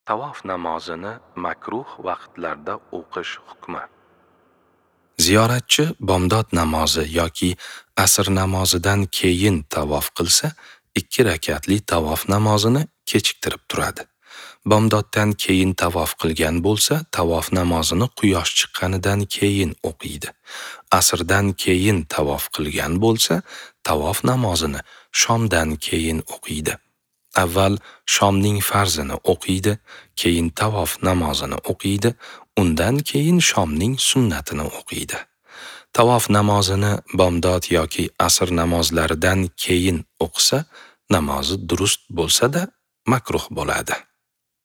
Tavof namozini makruh vaqtlarda o'qish hukmi. Ziyoratchi bomdod namozi yoki asr namozidan keyin tavof qilsa, 2 rakatli tavof namozini kechiktirib turadi. Bomdoddan keyin tavof qilgan bo'lsa, tavof namozini quyosh chiqqanidan keyin o'qiydi. Asrdan keyin tavof qilgan bo'lsa, tavof namozini shomdan keyin o'qiydi. Avval shomning farzini o'qiydi, keyin tavof namozini o'qiydi, undan keyin shomning sunnatini o'qiydi. Tavof namozini bomdod yoki asr namozlaridan keyin o'qisa, namozi durust bo'lsa-da makruh bo'ladi.